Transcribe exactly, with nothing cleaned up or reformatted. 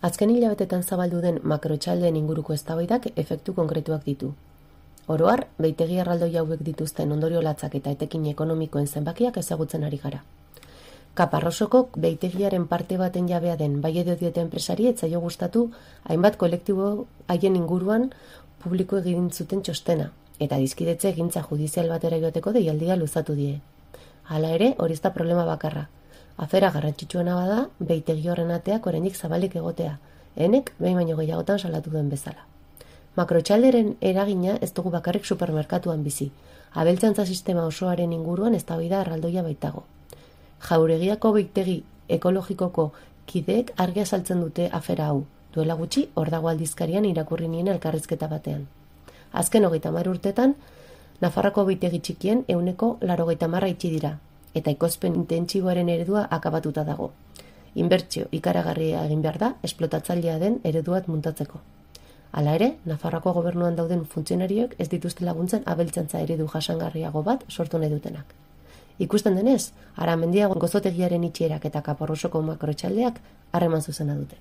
Azken hilabetetan zabaldu den makroetxaldeen inguruko eztabaidak efektu konkretuak ditu. Oro har, behitegi erraldoi hauek dituzten ondorio latzak eta etekin ekonomikoen zenbakiak ezagutzen ari gara. Kaparrosoko behitegiaren parte baten jabea den bai edo diote enpresari ez zaio gustatu hainbat kolektibo haien inguruan publiko egin zuten txostena, eta dizkidetze egintza judizial batera joateko deialdia luzatu die. Hala ere, hori ez da problema bakarra. Afera garrantzitsuena bada, behitegi horren ateak oraindik zabalik egotea, enek behin baino gehiagotan salatu duen bezala. Makroetxalderen eragina ez dugu bakarrik supermerkatuan bizi, abeltzantza sistema osoaren inguruan eztabaida erraldoia baitago. Jauregiako behitegi ekologikoko kideek argi azaltzen dute afera hau, duela gutxi hor dago aldizkarian irakurri nien elkarrizketa batean. Azken hogeita hamar urtetan, Nafarroako behitegi txikien ehuneko laurogeita hamar itxi dira, eta ekoizpen intentsiboaren eredua akabatuta dago. Inbertsio ikaragarria egin behar da esplotatzailea den ereduat muntatzeko. Hala ere, Nafarroako gobernuan dauden funtzionarioek ez dituzte laguntzen abeltzantza eredu jasangarriago bat sortu nahi dutenak. Ikusten denez, Aramendiago gozotegiaren itxierak eta Kaparrosoko makroetxaldeak harreman zuzena dute.